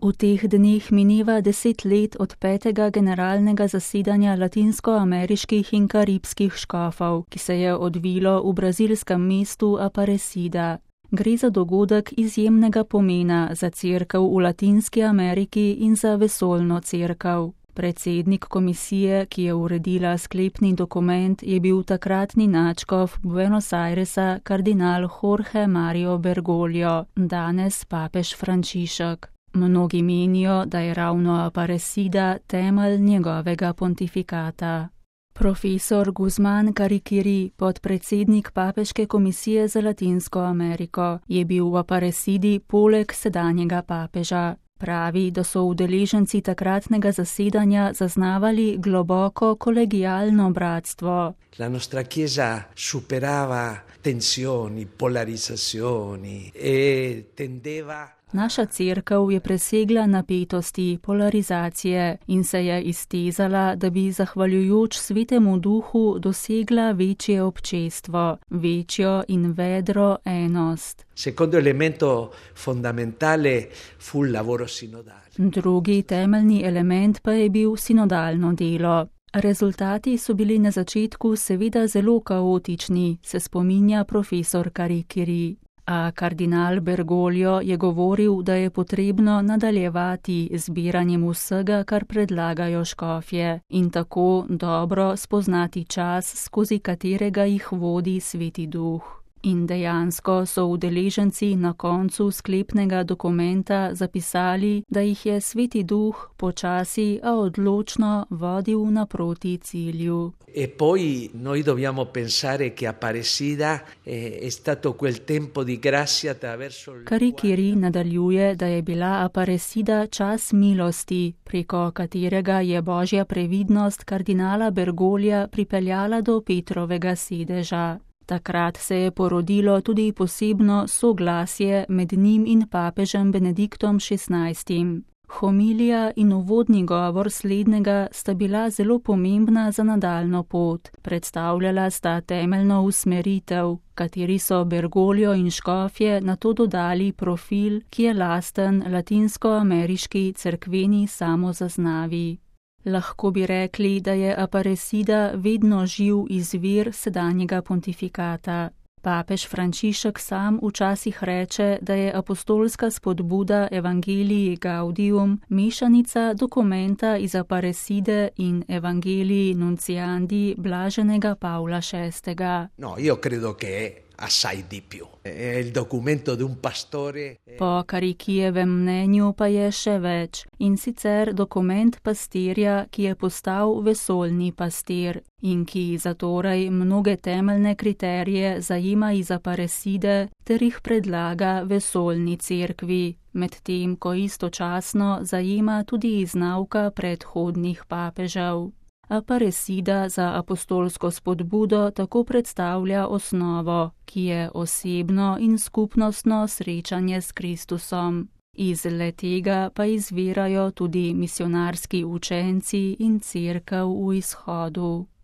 V teh dneh mineva 10 let od 5. generalnega zasedanja latinskoameriških in karibskih škofov, ki se je odvilo v brazilskem mestu Aparecida. Gre za dogodek izjemnega pomena za cerkev v Latinski Ameriki in za vesoljno cerkev. Predsednik komisije, ki je uredila sklepni dokument, je bil takratni nadškof Buenos Airesa kardinal Jorge Mario Bergoglio, danes papež Frančišek. Mnogi menijo, da je ravno Aparecida temelj njegovega pontifikata. Profesor Guzman Carriquiri, podpredsednik Papeške komisije za Latinsko Ameriko, je bil v Aparecidi poleg sedanjega papeža. Pravi, da so udeleženci takratnega zasedanja zaznavali globoko kolegialno bratstvo. La nostra chiesa superava tensioni, polarizzazioni e tendeva. Naša cerkev je presegla napetosti, polarizacije in se je iztezala, da bi zahvaljujoč Svetemu Duhu dosegla večje občestvo, večjo in vedro enost. Secondo elemento fondamentale fu il lavoro sinodale. Drugi temeljni element pa je bil sinodalno delo. Rezultati so bili na začetku seveda zelo kaotični, se spominja profesor Carriquiri. A kardinal Bergoglio je govoril, da je potrebno nadaljevati zbiranjem vsega, kar predlagajo škofje, in tako dobro spoznati čas, skozi katerega jih vodi Sveti Duh. In dejansko so udeleženci na koncu sklepnega dokumenta zapisali, da jih je Sveti Duh počasi, a odločno vodil naproti cilju. E poi noi dobbiamo pensare che Aparecida è stato quel tempo di grazia attraverso il Carriquiri nadaljuje, da je bila Aparecida čas milosti, preko katerega je božja previdnost kardinala Bergoglia pripeljala do Petrovega sedeža. Takrat se je porodilo tudi posebno soglasje med njim in papežem Benediktom XVI. Homilija in uvodni govor slednjega sta bila zelo pomembna za nadaljno pot. Predstavljala sta temeljno usmeritev, kateri so Bergoglio in škofje nato dodali profil, ki je lasten latinskoameriški cerkveni samozaznavi. Lahko bi rekli, da je Aparecida vedno živ izvir sedanjega pontifikata. Papež Frančišek sam včasih reče, da je apostolska spodbuda Evangelii Gaudium mešanica dokumenta iz Aparecide in Evangelii Nunciandi blaženega Pavla VI. No, io credo che assai di più. È il documento di un pastore. Po Carriquijevem mnenju pa je še več, in sicer dokument pastirja, ki je postal vesoljni pastir in ki zatorej mnoge temeljne kriterije zajema iz Aparecide ter jih predlaga vesoljni cerkvi, medtem ko istočasno zajema tudi iz nauka predhodnih papežev. Aparecida za apostolsko spodbudo tako predstavlja osnovo, ki je osebno in skupnostno srečanje s Kristusom. Iz le-tega pa izvirajo tudi misionarski učenci in cerkev v izhodu.